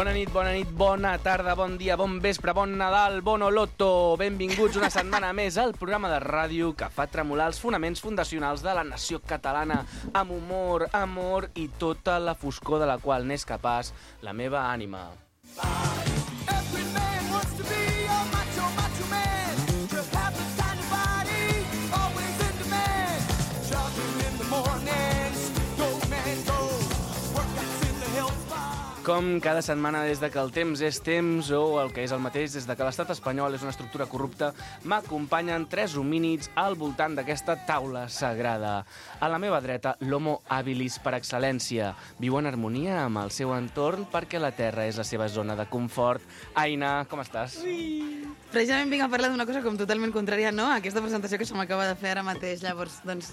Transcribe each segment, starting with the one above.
Bona nit, bona tarda, bon dia, bon vespre, bon Nadal, bon Oloto. Benvinguts una setmana més al programa de ràdio que fa tremolar els fonaments fundacionals de la nació catalana amb humor, amor i tota la foscor de la qual n'és capaç la meva ànima. Every man wants to be a macho, macho man. Just have the tiny body, always in demand. Jogging in the mornings, go man go. Workouts in the health bar. Com cada setmana des de que el temps és temps, o el que és el mateix, des de que l'estat espanyol és una estructura corrupta, m'acompanyen tres homínids al voltant d'aquesta taula sagrada. A la meva dreta, l'homo habilis per excel·lència. Viu en harmonia amb el seu entorn perquè la Terra és la seva zona de confort. Aina, com estàs? Ui. Precisament vinc a parlar d'una cosa com totalment contrària, no?, a aquesta presentació que se m'acaba de fer ara mateix. Llavors, doncs,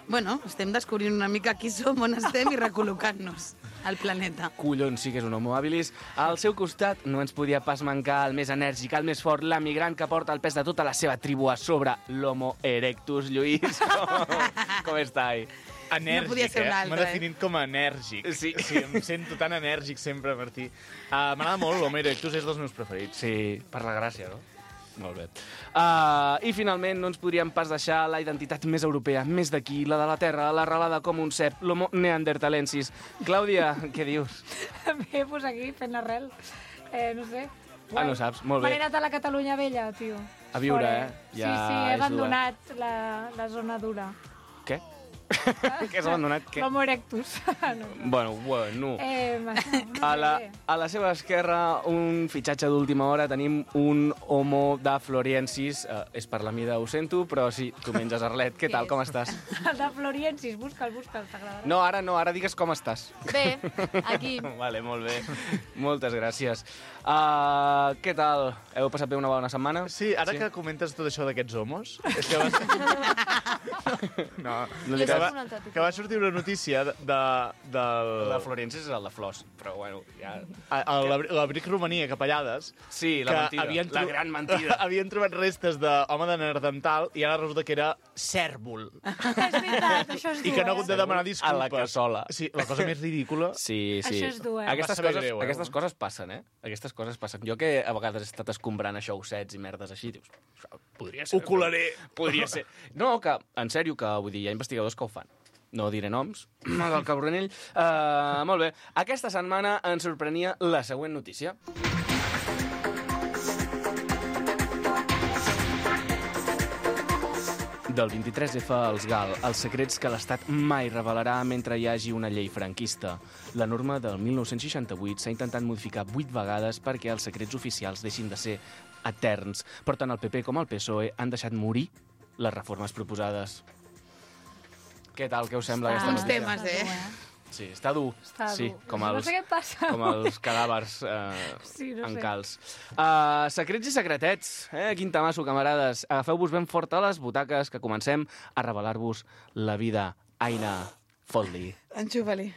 bueno, estem descobrint una mica qui som, on estem i recol·locant-nos al planeta. Collons, sí que és un homo habilis. Al seu costat no ens podia pas mancar el més enèrgic, el més fort, l'emigrant que porta el pes de tota la seva tribu a sobre, l'homo erectus. Lluís, com està? Enèrgic, no podia ser un altre, M'ha definit com a enèrgic. Sí. Em sento tan enèrgic sempre, Martí. M'agrada molt, l'Homo erectus és dels meus preferits. Sí, per la gràcia, no? Molt bé. I finalment no ens podríem pas deixar la identitat més europea, més d'aquí, la de la terra, l'arrelada com un cep, l'homo neandertalensis. Clàudia, què dius? Bé, doncs aquí, fent l'arrel. No sé. No saps? Molt bé. M'he anat a la Catalunya vella, tio. A viure, Fora. Ja sí, he abandonat la zona dura. Què? Què has abandonat? Què? L'homo erectus. No. Bueno. No a la seva esquerra, un fitxatge d'última hora, tenim un homo de Floriensis. És per la mida, ho sento, però sí, tu menges Arlet. Què tal, com estàs? El de Floriensis, busca'l, t'agradarà. No, ara digues com estàs. Bé, aquí. Vale, molt bé. Moltes gràcies. Què tal? Heu passat bé una bona setmana? Sí, ara que comentes tot això d'aquests homos, és que que va sortir una notícia La Floriensis és el de flors, però bueno, ja... L'abric Romania, Capellades... Sí, la mentida, la gran mentida. Havien trobat restes d'home de Neandertal i ara resulta que era cèrvol. És veritat, això és dur, I que no ha hagut de demanar disculpes. A la cassola. Sí, la cosa més ridícula. Sí. Això és dur, Aquestes coses passen, Aquestes coses passen. Jo que a vegades he estat escombrant a xoussets i merdes així, dius, podria ser... Ho colaré. Podria ser. No, que, en sèrio, que vull dir, hi ha investigadors que ho fan. No diré noms, del cabronell. Molt bé. Aquesta setmana ens sorprenia la següent notícia. Del 23F als GAL, els secrets que l'Estat mai revelarà mentre hi hagi una llei franquista. La norma del 1968 s'ha intentat modificar 8 vegades perquè els secrets oficials deixin de ser eterns, però tant el PP com el PSOE han deixat morir les reformes proposades. Què tal, què us sembla aquesta Uns notícia? temes, Sí, està dur. Sí, com no sé què passa. Com els cadàvers Sí, no en sé. calç. Secrets i secretets. Quin tamasso, camarades. Agafeu-vos ben fort a les butaques que comencem a revelar-vos la vida. Aina, fot-li. Enxufa-li.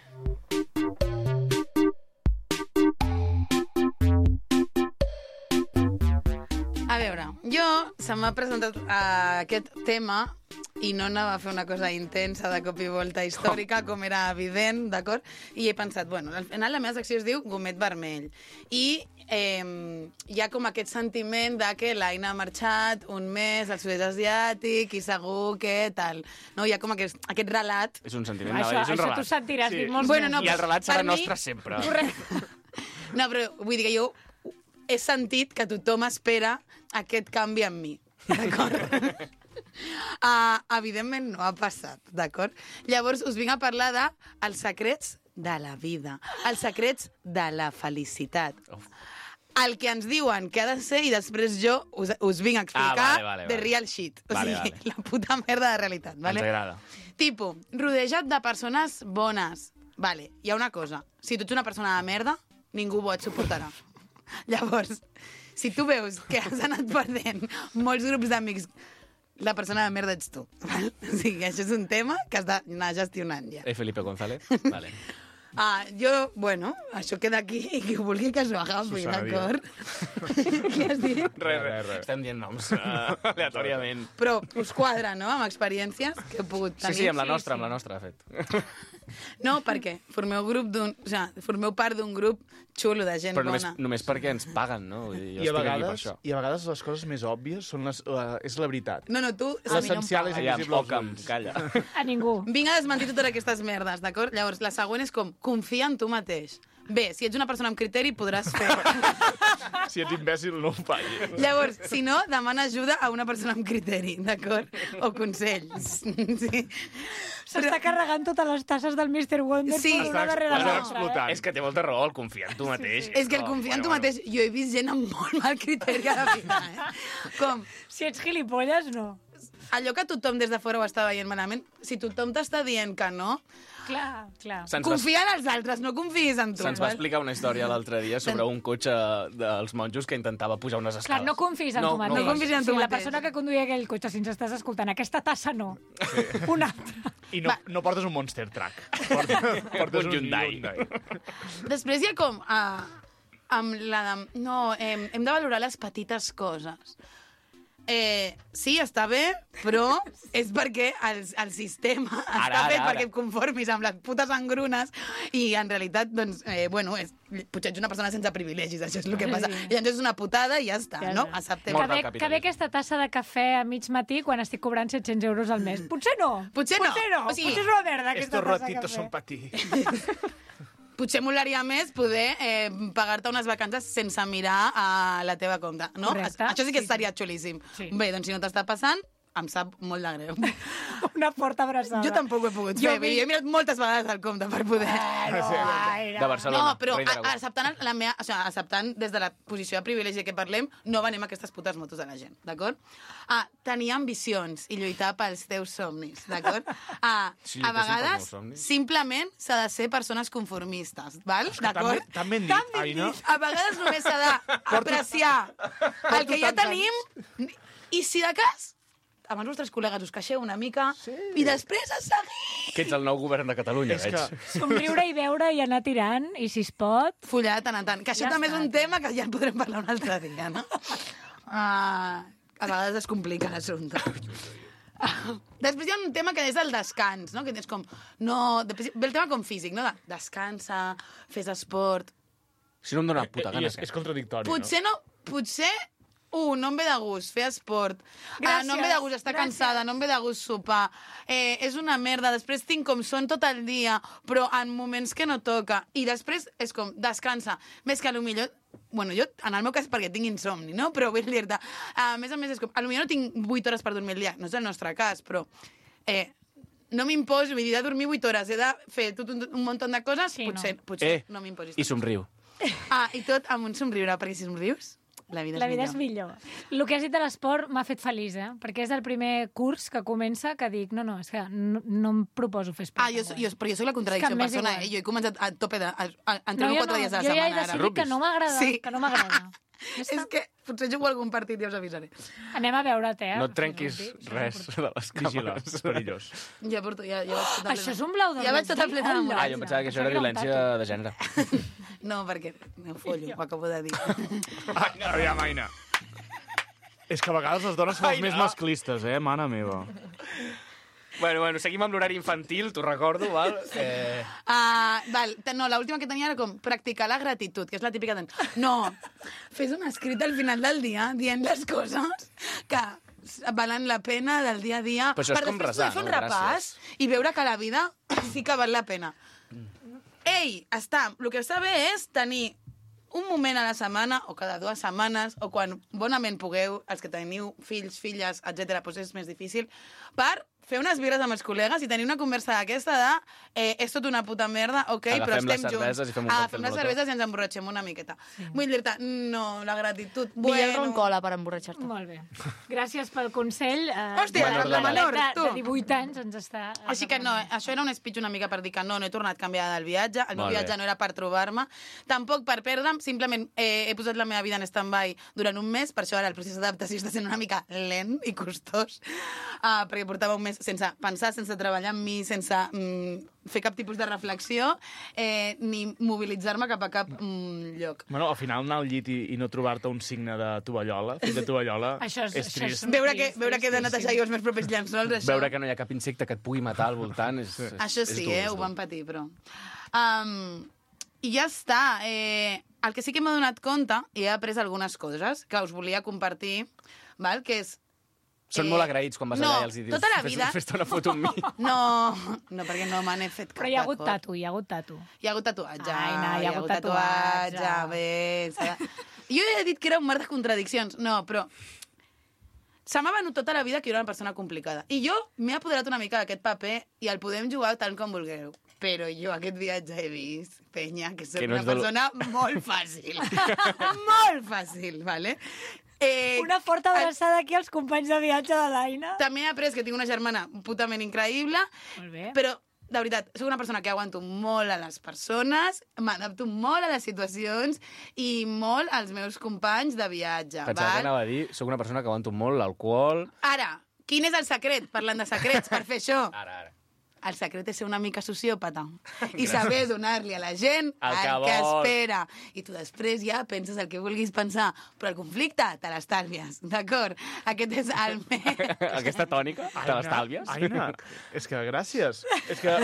A veure, jo se m'ha presentat aquest tema i no anava a fer una cosa intensa de cop i volta històrica, com era evident, d'acord? I he pensat, bueno, al final la meva secció es diu Gomet Vermell. I hi ha com aquest sentiment de que l'Aina ha marxat un mes al sud-est asiàtic i segur que tal. No? Hi ha com aquest relat. És un sentiment, Això és un relat. tu sentiràs dir molts Bueno, mesos. no, I el relat serà per mi- nostre sempre. Correcte. No, però vull dir que jo he sentit que tothom espera aquest canvi en mi, d'acord? Evidentment no ha passat, d'acord? Llavors us vinc a parlar dels secrets de la vida, els secrets de la felicitat. El que ens diuen que ha de ser i després jo us vinc a explicar vale. the real shit. O Vale, sigui, vale. la puta merda de realitat. Vale? Ens agrada. Tipo, rodejat de persones bones. Vale, hi ha una cosa. Si tu ets una persona de merda, ningú bo et suportarà. Llavors, si tu veus que has anat perdent molts grups d'amics, la persona de merda ets tu. Val? O sigui, això és un tema que has d'anar gestionant ja. Felipe González? Vale. Jo, bueno, això queda aquí i qui ho vulgui que s'ho agafi, Susana d'acord? Què has dit? Res. Estem dient noms aleatòriament. Però us quadra, no?, amb experiències que he pogut tenir. Sí, amb la nostra, de fet. No, perquè formeu part d'un grup xulo de gent Però bona. només perquè ens paguen, no? Vull dir, jo I a estic aquí per vegades, això. les coses més òbvies són és la veritat. No, tu... L'essencial és Aviam, invisible als Ockham, ulls. calla. A ningú. Vinc a desmentir totes aquestes merdes, d'acord? Llavors, la següent és com, confia en tu mateix. Bé, si ets una persona amb criteri, podràs fer. Si ets imbècil, no ho facis. Llavors, si no, demana ajuda a una persona amb criteri, d'acord? O consells. Sí. S'està carregant totes les tasses del Mr. Wonder Sí. una darrere Està l'altra. explotant. És que té molta raó, el confiar en tu mateix. És que el confiar en tu mateix... Jo he vist gent amb molt mal criteri a la vida, Com, Si ets gilipolles, no. allò que tothom des de fora ho està veient malament, si tothom t'està dient que no, Clar. confia en els altres, no confiïs en tu. Se'ns va val? explicar una història l'altre dia sobre un cotxe dels monjos que intentava pujar unes escales. Clar, no confis en tu mateix. no confis en tu La mateix. persona que conduïa aquell cotxe, si ens estàs escoltant, aquesta tassa no. Una altra. I no portes un Monster Truck. Portes Un Hyundai. Després hi ha com... amb la de... No, hem de valorar les petites coses. Sí, està bé, però és perquè el sistema està fet perquè et conformis amb les putes engrunes i en realitat, doncs, potser ets una persona sense privilegis, això és el que passa. I llavors és una putada i ja està, no? Acceptem. Molt del Que capitalisme. bé aquesta tassa de cafè a mig matí quan estic cobrant 700 euros al mes. Potser no. Potser no. O sigui, potser és una merda aquesta Estos tassa de ratitos cafè. son pa ti. Potser molaria més poder pagar-te unes vacances sense mirar a la teva compte, no? Correcte. Això sí que estaria xulíssim. Sí. Bé, doncs si no t'està passant, em sap molt de greu. Una forta abraçada. Jo tampoc ho he pogut fer. Jo he mirat moltes vegades el compte per poder... De Barcelona. No, però Rei d'Aragó. acceptant des de la posició de privilegi que parlem, no venem aquestes putes motos de la gent, d'acord? Tenir ambicions i lluitar pels teus somnis, d'acord? Sí, A lluitéssim pels vegades, meus somnis. simplement s'ha de ser persones conformistes, val? D'acord? Tan ben dit, Aina. A vegades només s'ha d'apreciar el que ja tenim i, si de cas, amb els vostres col·legues us queixeu una mica i després a seguir. Que ets el nou govern de Catalunya, És veig. que- Somriure i veure i anar tirant, i si es pot... Follar de tant en tant. Que això Ja també és està. un tema que ja en podrem parlar un altre dia, no? A vegades es complica l'assumpte. Després hi ha un tema que és el descans, no? Que és com... No, ve el tema com físic, no? Descansa, fes esport... Si no em dóna puta I gana. és contradictori, Potser no... Potser... no em ve de gust fer esport. Gràcies, No em ve de gust estar cansada, no em ve de gust sopar. És una merda. Després tinc com son tot el dia, però en moments que no toca. I després és com, descansa. Més que potser... Bueno, jo, en el meu cas, perquè tinc insomni, no? Però vull dir-te... A més és com... Potser no tinc 8 hores per dormir al dia. No és el nostre cas, però... no m'imposo, vull dir, de dormir 8 hores, he de fer tot un munt de coses, Sí, potser no m'imposis. I somriu. I tot amb un somriure, perquè si somrius, la vida és millor. El que has dit de l'esport m'ha fet feliç, perquè és el primer curs que comença que dic, no, és que no em proposo fer esport. Però jo soc la contradicció És que m'és persona, igual. Jo he començat a tope de... Entreno 4 dies a la Jo ja he setmana. ara. decidit que no m'agrada, Sí. que no m'agrada. És que potser jugo a algun partit i ja us avisaré. Anem a veure't, No et trenquis res de les Vigila, càmeres. és perillós. Ja vaig tota Això és un blau de Ja vaig tota plena de Hola. Jo pensava que això era violència de gènere. No, perquè me follo, ho acabo de dir. Aviam, Aina. És que a vegades les dones són les més masclistes, mana meva. Bueno, seguim amb l'horari infantil, t'ho recordo, val? No, l'última que tenia era com practicar la gratitud, que és la típica de... No, fes un escrit al final del dia dient les coses que valen la pena del dia a dia. Però això és com resar, fer un no? repàs i veure que la vida sí que val la pena. El que està bé és tenir un moment a la setmana, o cada 2 setmanes, o quan bonament pugueu, els que teniu fills, filles, etc., doncs és més difícil, per fer unes birres amb els col·legues i tenir una conversa d'aquesta de és tot una puta merda, ok, però Agafem les estem junts. cerveses i fem un còctel Agafem les molotov. cerveses i ens emborratxem una miqueta. Vull dir-te, no, la gratitud... Millor el roncola per emborratxar-te. Molt bé. Gràcies pel consell. Hòstia, la menor, tu. De 18 anys ens està... Així que no, això era un speech una mica per dir que no he tornat canviada del viatge, el meu Molt bé. viatge no era per trobar-me, tampoc per perdre'm, simplement he posat la meva vida en stand-by durant un mes, per això ara el procés d'adaptació està sent una mica lent i costós, perquè portava un mes més, sense pensar, sense treballar amb mi, sense fer cap tipus de reflexió, ni mobilitzar-me cap a cap lloc. Bueno, al final anar al llit i no trobar-te un signe de tovallola, fill de tovallola, és trist. Veure que he de netejar jo els meus propis llençols, això. Veure que no hi ha cap insecte que et pugui matar al voltant és Això sí, ho vam patir, però... I ja està. El que sí que m'he donat compte, i he après algunes coses que us volia compartir, val? Que és... Són molt agraïts quan vas allà i els dius tota la vida... fes-te una foto amb mi. No, perquè no me n'he fet cap. Però hi ha hagut tatu, hi ha hagut tatu. Hi ha hagut tatuatge. Ai, no, hi ha hagut tatuatge. Bé, jo he dit que era un mar de contradiccions. No, però... Se m'ha venut tota la vida que jo era una persona complicada. I jo m'he apoderat una mica d'aquest paper i el podem jugar tant com vulgueu. Però jo aquest viatge he vist, penya, que soc una persona molt fàcil. Molt fàcil, ¿vale? Una forta abraçada aquí als companys de viatge de l'Aina. També he après que tinc una germana putament increïble, però, de veritat, soc una persona que aguanto molt a les persones, m'adapto molt a les situacions i molt als meus companys de viatge. Pensava que anava a dir, soc una persona que aguanto molt l'alcohol. Ara, quin és el secret, parlant de secrets, per fer això? Ara. El secret és ser una mica sociòpata i saber donar-li a la gent el que espera. I tu després ja penses el que vulguis pensar, però el conflicte te l'estalvies, d'acord? Aquest és el Aquesta tònica te l'estalvies? Aina, és que gràcies. És que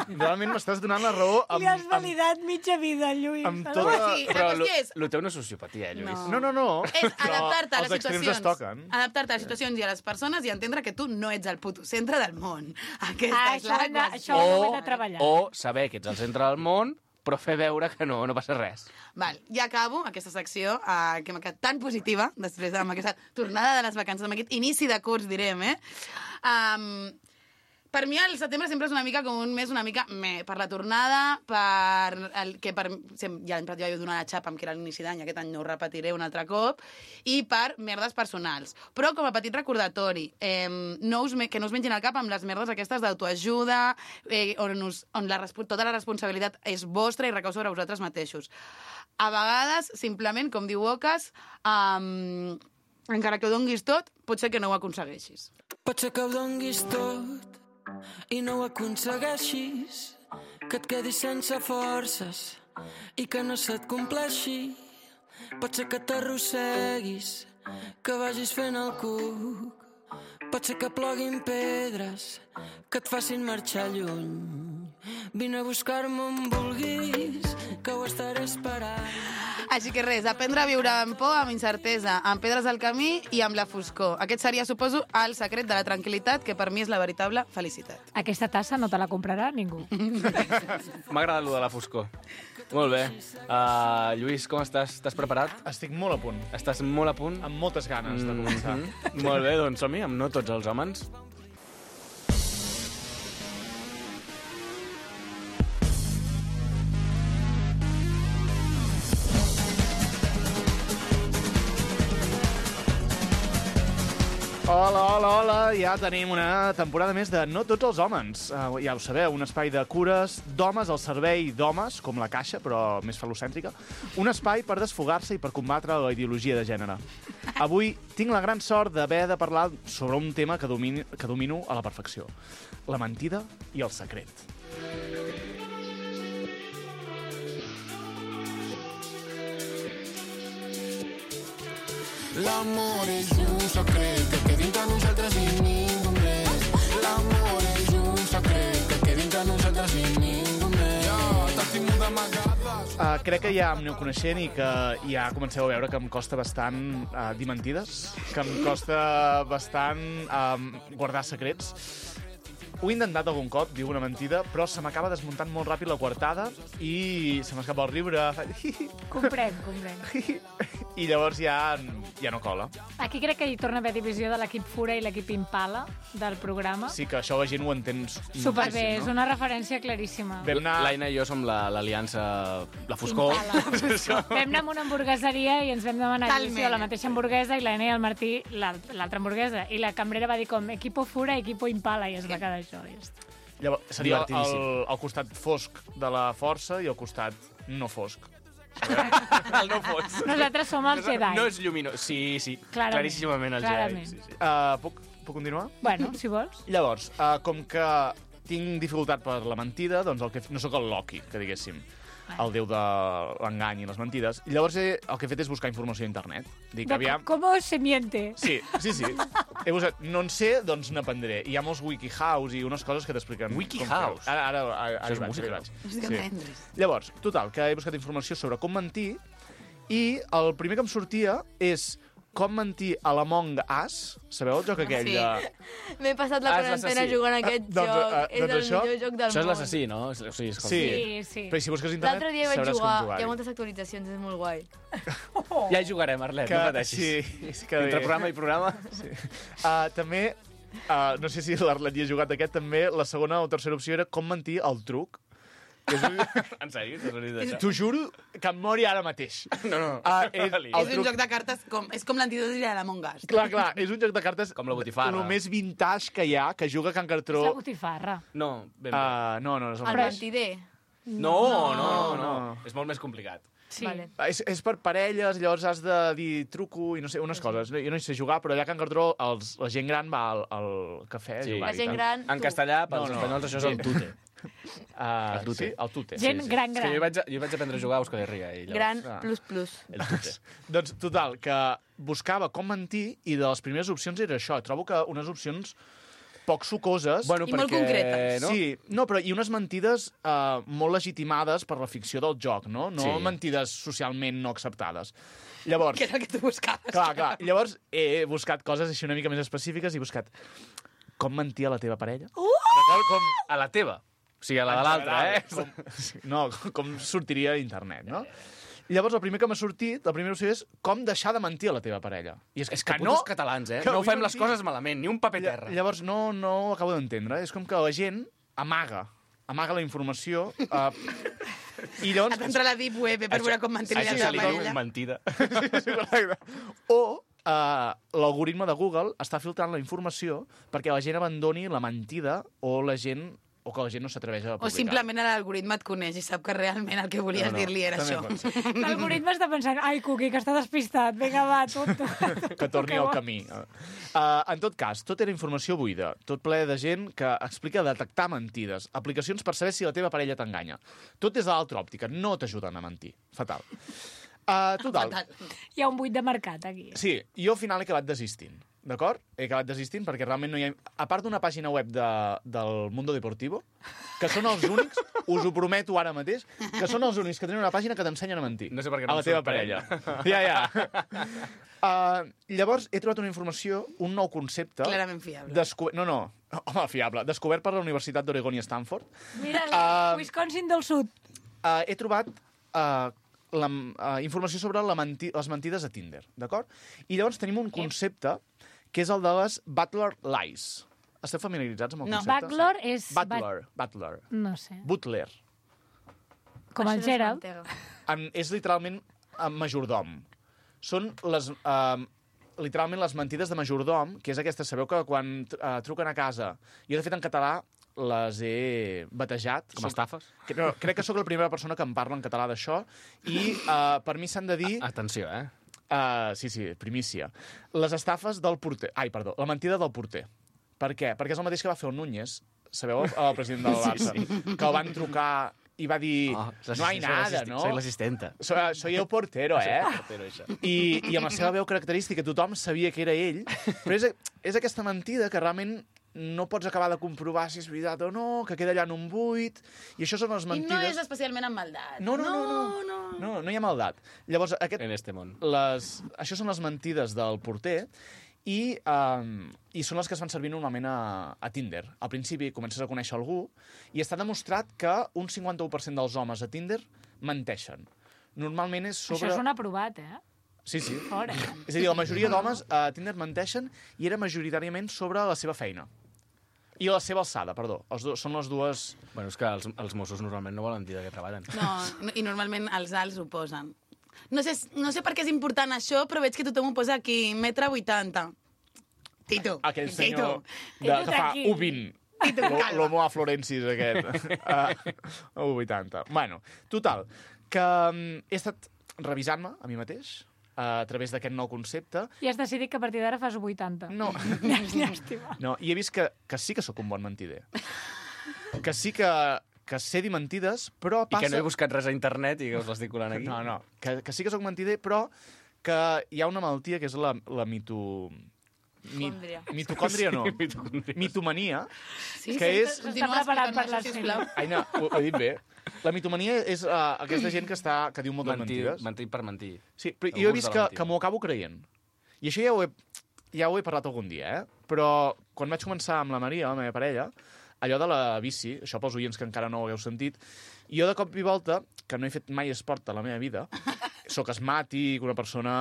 realment m'estàs donant la raó Li has validat mitja vida, Lluís. Amb tota... Però el teu no és sociopatia, Lluís. No. És adaptar-te a les situacions. Els extrems es toquen. Adaptar-te a les situacions i a les persones i entendre que tu no ets el puto centre del món. Aquesta és la Això ho hem de treballar. O saber que ets el centre del món, però fer veure que no passa res. Val, ja acabo aquesta secció que m'ha quedat tan positiva, després amb aquesta tornada de les vacances, amb aquest inici de curs, direm, Per mi el setembre sempre és una mica com un mes una mica per la tornada, ja l'any passat ja vaig donar la xapa amb que era l'inici d'any, aquest any no ho repetiré un altre cop, i per merdes personals. Però com a petit recordatori, que no us mengin al cap amb les merdes aquestes d'autoajuda, on tota la responsabilitat és vostra i recau sobre vosaltres mateixos. A vegades, simplement, com diu Ocas, encara que ho donguis tot, pot ser que no ho aconsegueixis. Pot ser que ho donguis tot i no ho aconsegueixis, que et quedis sense forces i que no se't compleixi. Pot ser que t'arrosseguis, que vagis fent el cuc, pot ser que ploguin pedres que et facin marxar lluny. Vine a buscar-me on vulguis, que ho estaré esperant. Així que res, aprendre a viure amb por, amb incertesa, amb pedres al camí i amb la foscor. Aquest seria, suposo, el secret de la tranquil·litat, que per mi és la veritable felicitat. Aquesta tassa no te la comprarà ningú. M'ha agradat lo de la foscor. Molt bé. Lluís, com estàs? Estàs preparat? Estic molt a punt. Estàs molt a punt? Amb moltes ganes de començar. Molt bé, doncs som-hi, amb no tots els homes. Hola, ja tenim una temporada més de No tots els homes. Ja ho sabeu, un espai de cures d'homes al servei d'homes, com la Caixa, però més falocèntrica. Un espai per desfogar-se i per combatre la ideologia de gènere. Avui tinc la gran sort d'haver de parlar sobre un tema que domino a la perfecció. La mentida i el secret. L'amor és un secret que queda entre nosaltres i ningú més. L'amor és un secret que queda entre nosaltres i ningú més. T'estimo d'amagades. Crec que ja em aneu coneixent i que ja comenceu a veure que em costa bastant dir mentides, que em costa bastant guardar secrets. Ho he intentat algun cop, dir una mentida, però se m'acaba desmuntant molt ràpid la coartada i se m'escapa el riure. Comprenc. I llavors ja no cola. Aquí crec que hi torna a haver divisió de l'equip Fura i l'equip Impala del programa. Sí, que això la gent ho entén superbé, no? És una referència claríssima. L'Aina i jo som l'aliança, la foscor. Vam anar a una hamburgueseria i ens vam demanar la mateixa hamburguesa i l'Aina i el Martí l'altra hamburguesa. I la cambrera va dir com equipo Fura, equipo Impala, i es va quedar això. Llavors, seria el costat fosc de la força i el costat no fosc. El no fosc. Nosaltres som els Jedi. No és lluminós. Sí, claríssimament el Jedi. Puc Puc continuar? Bueno, si vols. Llavors, com que tinc dificultat per la mentida, doncs no sóc el Loki, que diguéssim, el déu de l'engany i les mentides. I llavors el que he fet és buscar informació a internet. Dic, aviam... Com se miente? Sí. He buscat, no en sé, doncs n'aprendré. Hi ha molts WikiHows i unes coses que t'expliquen... WikiHows? Ara Això és vaig, música. Sí. Llavors, total, que he buscat informació sobre com mentir i el primer que em sortia és com mentir a l'Among Us. Sabeu el joc aquell Sí. de... M'he passat la Ah, és quarantena l'assassí. jugant a aquest Doncs, joc. És doncs el això- millor joc del Això és món. l'assassí, no? O sigui, escolta. Sí. Però si busques a internet L'altre dia vaig sabràs jugar. com jugar. Hi ha moltes actualitzacions, és molt guai. Ja hi jugarem, Arlet, no pateixis. Sí, que Entre bé. programa i programa. També, no sé si l'Arlet hi ha jugat aquest, també la segona o tercera opció era com mentir al truc. Que és un... En sèrio? T'has venit d'això? T'ho juro que em mori ara mateix. No. El És un joc de cartes, és com l'antidot de l'Among Us. Clar, és un joc de cartes Com la botifarra. el més vintage que hi ha, que juga Can És Cartró. la botifarra. No, ben bé. No és el El mateix. mentider. No. És molt més complicat. Sí. Vale. És per parelles, llavors has de dir truco i no sé, unes coses. Jo no hi sé jugar, però allà a Can Cartró la gent gran va al cafè a Sí. jugar. La gent gran, En tu. castellà, pels No. espanyols, això és el tute. El tute. Sí, el tute. Gent gran. És que jo vaig aprendre a jugar a Euskal Herria. I llavors, Gran Ah. plus. El tute. Doncs, total, que buscava com mentir i de les primeres opcions era això. Trobo que unes opcions poc sucoses... Bueno, I molt perquè, concretes. No? Sí, no, però i unes mentides molt legitimades per la ficció del joc, no? No Sí. mentides socialment no acceptades. Llavors, Que és el que tu buscaves. clar. Llavors he buscat coses així una mica més específiques i he buscat com mentir a la teva parella. D'acord? Com... A la teva. O sigui, a la de l'altra, eh? No, com sortiria a internet, no? I llavors el primer que m'ha sortit, la primera opció és com deixar de mentir a la teva parella. I És que putos catalans, eh? que No vull fem les mentir. coses malament, ni un paper terra. Llavors no ho acabo d'entendre. És com que la gent amaga la informació i llavors... Has d'entrar a la Deep Web per veure com mantenir Això la se li teva diu parella. mentida. O l'algoritme de Google està filtrant la informació perquè la gent abandoni la mentida o que la gent no s'atreveix a O publicar. simplement l'algoritme et coneix i sap que realment el que volies dir-li era també això. pot ser. L'algoritme està pensant, ai, Cuqui, que està despistat, vinga, va, tonto. Que torni al camí. En tot cas, tot era informació buida, tot ple de gent que explica detectar mentides, aplicacions per saber si la teva parella t'enganya. Tot des de l'altra òptica, no t'ajuden a mentir. Fatal. Total. Fatal. Hi ha un buit de mercat, aquí. Sí, jo al final he acabat desistint. D'acord? He acabat desistint perquè realment no hi ha... A part d'una pàgina web del Mundo Deportivo, que són els únics, us ho prometo ara mateix, que són els únics que tenen una pàgina que t'ensenyen a mentir. No sé per què no a la em teva sorprèn. parella. Ja. Llavors, he trobat una informació, un nou concepte... Clarament fiable. No. Home, fiable. Descobert per la Universitat d'Oregon i Stanford. Mira, Wisconsin del Sud. He trobat informació sobre les mentides a Tinder, d'acord? I llavors tenim un concepte que és el de les Butler Lies. Esteu familiaritzats amb el No. concepte? Butler és... Butler. No sé. Butler. Com el Això no és Gerald. mantega. És literalment majordom. Són literalment les mentides de majordom, que és aquesta, sabeu que quan truquen a casa, jo de fet en català les he batejat. Com estafes? Crec que sóc la primera persona que em parla en català d'això i per mi s'han de dir... Atenció, eh? Sí, primícia. Les estafes del porter. Ai, perdó, la mentida del porter. Per què? Perquè és el mateix que va fer el Núñez, sabeu, el president del Barça, que el van trucar i va dir no hay nada, ¿no? Soy l'assistenta. Soy el portero, Però això. I amb la seva veu característica tothom sabia que era ell, però és aquesta mentida que realment no pots acabar de comprovar si és veritat o no, que queda allà en un buit, i això són les I mentides... no és especialment amb maldat. No hi ha maldat. Llavors, En este món. això són les mentides del porter i són les que es fan servir normalment a Tinder. Al principi comences a conèixer algú i està demostrat que un 51% dels homes a Tinder menteixen. Normalment és sobre... Això és un aprovat, eh? Sí. Fora. És a dir, la majoria d'homes a Tinder menteixen i era majoritàriament sobre la seva feina. I la seva alçada, perdó. Són les dues... Bueno, és que els Mossos normalment no volen dir de què treballen. No, i normalment els alts ho posen. No sé per què és important això, però veig que tothom ho posa aquí, 1,80 m. Tito. Aquell Tito. senyor que fa tranquil. 1,20. L'homo aflorensis aquest. 1,80. Bueno, total, que he estat revisant-me a mi mateix a través d'aquest nou concepte. I has decidit que a partir d'ara fas 80. No. Llàstima. No, i he vist que sí que sóc un bon mentider. Que sí que sé dir mentides, però passa... I que no he buscat res a internet i que us l'estic colant aquí. No, que sí que sóc mentider, però que hi ha una malaltia que és la mitocòndria no. Mitomania, que és... S'està preparat per l'estiu. Aina, ho he dit bé. La mitomania és aquesta gent que diu moltes mentides. Mentir per mentir. Sí, però jo he vist que m'ho acabo creient. I això ja ho he parlat algun dia, Però quan vaig començar amb la Maria, la meva parella, allò de la bici, això pels oients que encara no ho hagueu sentit, jo de cop i volta, que no he fet mai esport a la meva vida, sóc asmàtic, una persona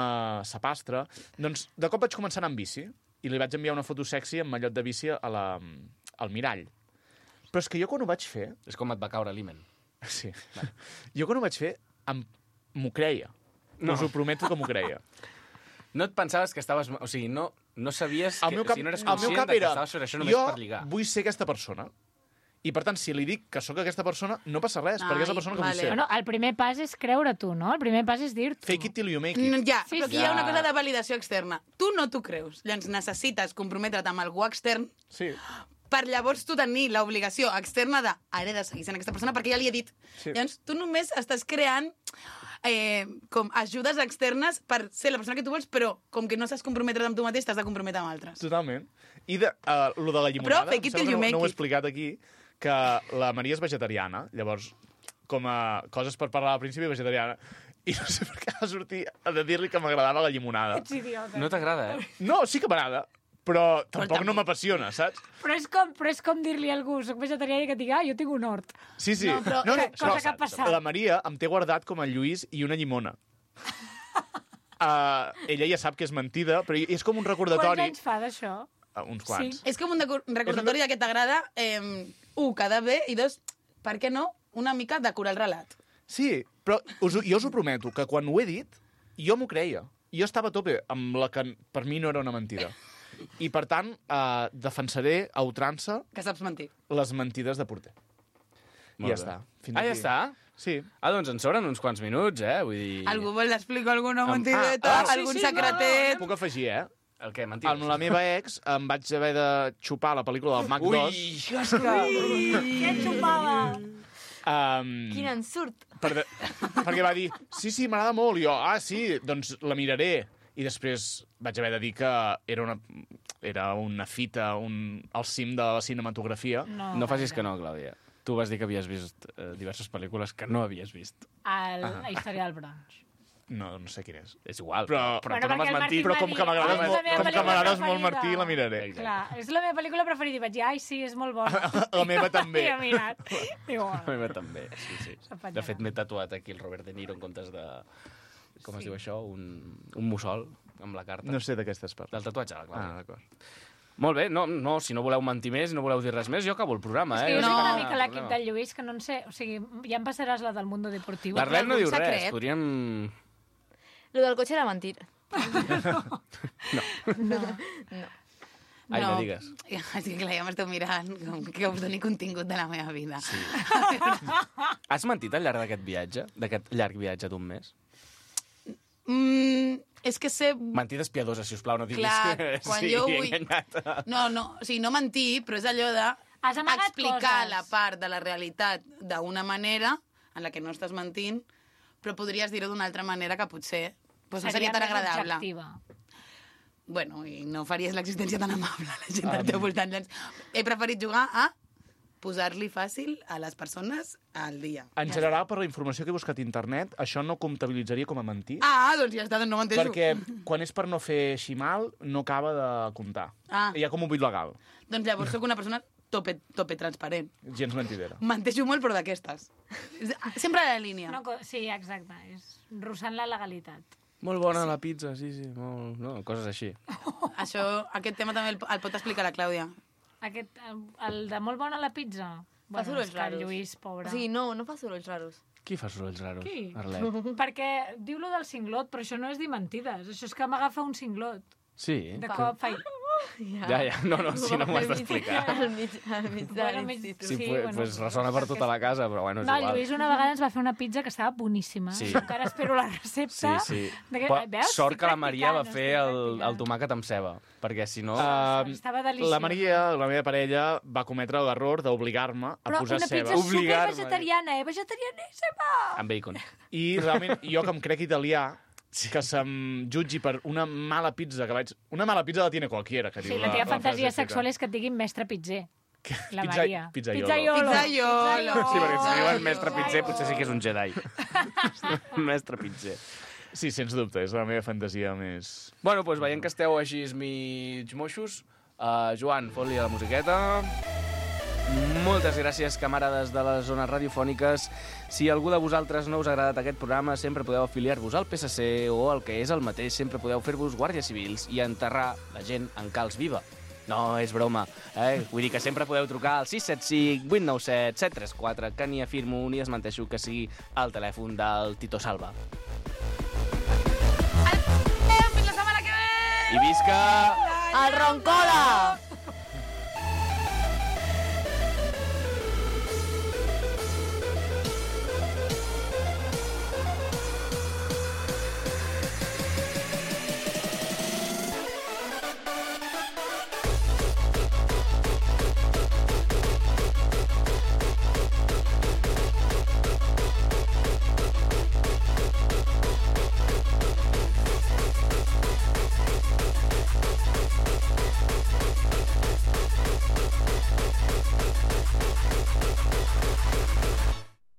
sapastre, doncs de cop vaig començar a anar amb bici i li vaig enviar una foto sexy amb mallot de bici al mirall. Però és que jo quan ho vaig fer... És com et va caure l'himen. Sí. Jo quan ho vaig fer m'ho creia. No. Us ho prometo que m'ho creia. No et pensaves que estaves... O sigui, no sabies que... Cap, no eres el meu conscient cap que era, estaves fent això només per lligar. Jo vull ser aquesta persona. I, per tant, si li dic que sóc aquesta persona, no passa res, perquè és la persona que vull ser. Bueno, el primer pas és creure tu, no? El primer pas és dir-t'ho. Fake it till you make it. Ja, Sí, però sí. aquí hi ha una cosa de validació externa. Tu no t'ho creus. Llavors necessites comprometre't amb algú extern Sí. per llavors tu tenir l'obligació externa de ara he de seguir sent aquesta persona perquè ja li he dit. Sí. Llavors tu només estàs creant com ajudes externes per ser la persona que tu vols, però com que no saps comprometre't amb tu mateix, t'has de comprometre amb altres. Totalment. I lo de la llimonada, Però fake it till you make no ho he it. explicat aquí, que la Maria és vegetariana, llavors, com a coses per parlar al principi, vegetariana, i no sé per què va sortir a dir-li que m'agradava la llimonada. Ets idiota. No t'agrada, No, sí que m'agrada, però tampoc no m'apassiona, saps? Però és com dir-li a algú, soc vegetarià i que et digui, jo tinc un hort. Sí, sí. No, però- cosa que ha passat. La Maria em té guardat com a Lluís i una llimona. Ella ja sap que és mentida, però és com un Quants recordatori... anys fa d'això? Uns quants. És com un recordatori de que t'agrada, quedar bé, i dos, per què no, una mica decorar el relat. Sí, però jo us ho prometo, que quan ho he dit, jo m'ho creia. Jo estava a tope amb la que per mi no era una mentida. I, per tant, defensaré a ultrança Que saps mentir. les mentides de porter. I ja està. Fins Ja aquí. està? Sí. Doncs ens sobren uns quants minuts, Vull dir... Algú vol explicar alguna mentideta, algun secretet? Puc afegir, El què, mentides? Amb la meva ex em vaig haver de xupar la pel·lícula del Mac 2. Què xupava? Quin ensurt. Perquè va dir, sí, m'agrada molt. I jo, sí, doncs la miraré. I després vaig haver de dir que era una fita, al cim de la cinematografia. No facis que no, Clàudia. Tu vas dir que havies vist diverses pel·lícules que no havies vist. La història del bronx. No sé quin és. És igual, Però tu no m'has mentit. Però com que m'agrades molt, Martí, la miraré. Clar, és la meva pel·lícula preferida. I vaig dir, sí, és molt bona. La meva també. I he mirat. Igual. La meva també, sí. S'afanyarà. De fet, m'he tatuat aquí el Robert De Niro en comptes de... Com es diu això? Un mussol amb la carta. No sé de què estàs parlant. Del tatuatge, la Clàudia. D'acord. Molt bé, no, si no voleu mentir més, no voleu dir res més, jo acabo el programa, És que jo No. soc una mica l'equip del Lluís, que no en sé... O sigui, ja em passaràs la del Mundo Deportivo. L'Arlet no algun diu res, secret? podríem... Lo del cotxe era mentira. Ai, no digues. És que clar, ja m'esteu mirant com que us doni contingut de la meva vida. Sí. Has mentit al llarg d'aquest viatge? D'aquest llarg viatge d'un mes? És que sé... Mentides piadoses, sisplau, no diguis Clar, que quan sí, jo he vull... enganyat. No, o sigui, no mentir, però és allò de Has amagat explicar coses. la part de la realitat d'una manera en la que no estàs mentint, però podries dir-ho d'una altra manera que potser no seria tan més agradable. objectiva. Bueno, i no faries l'existència tan amable a la gent del teu voltant. Doncs he preferit jugar a posar-li fàcil a les persones al dia. En general, per la informació que he buscat a internet, això no comptabilitzaria com a mentir. Doncs ja està, doncs no m'enteixo. Perquè quan és per no fer així mal, no acaba de comptar. Hi ha com un buit legal. Doncs llavors sóc una persona tope transparent. Gens mentidera. Menteixo molt, però d'aquestes. Sempre a la línia. No, sí, exacte. És russant la legalitat. Molt bona la pizza, sí. Molt... No, coses així. Aquest tema també el pot explicar la Clàudia. El de molt bona la pizza. Fa sorolls és que raros. el Lluís, pobre. O sigui, no fa sorolls raros. Qui fa sorolls raros? Qui? Arlet. Perquè diu lo del cinglot, però això no és dir mentides. Això és que m'agafa un cinglot. Sí? De cop faig... Ja, no, si no m'ho has d'explicar. Al mig de l'institut. Sí, pues ressona per tota la casa, però bueno, és No, el igual. Lluís una vegada ens va fer una pizza que estava boníssima. Sí. Encara espero la recepta. Sí. Veus? Sort que la Estic Maria va practicant, fer estic el practicant. tomàquet amb ceba, perquè si no... Estava deliciós. La Maria, la meva parella, va cometre l'error d'obligar-me a Però posar una ceba. pizza Obligar-me. supervegetariana, vegetarianíssima! Amb bacon. I realment, jo que em crec italià, que se'm jutgi per una mala pizza que vaig... Una mala pizza la tiene cualquiera, que Sí, diu la teva fantasia frase sexual és que et diguin mestre pizzer. La Pizza- Maria. pizzaiolo. Pizzaiolo. Sí, perquè si diuen mestre pitzer, potser sí que és un Jedi. Mestre pitzer. Sí, sens dubte, és la meva fantasia més... Bueno, doncs veient que esteu així mig moixos, Joan, fot-li a la musiqueta. Moltes gràcies, camarades de les zones radiofòniques. Si algú de vosaltres no us ha agradat aquest programa, sempre podeu afiliar-vos al PSC o el que és el mateix, sempre podeu fer-vos guàrdies civils i enterrar la gent en calç viva. No, és broma. Vull dir que sempre podeu trucar al 675 897 734, que ni afirmo ni desmenteixo que sigui el telèfon del Tito Salva. Fins la setmana que ve! I visca... El Roncola!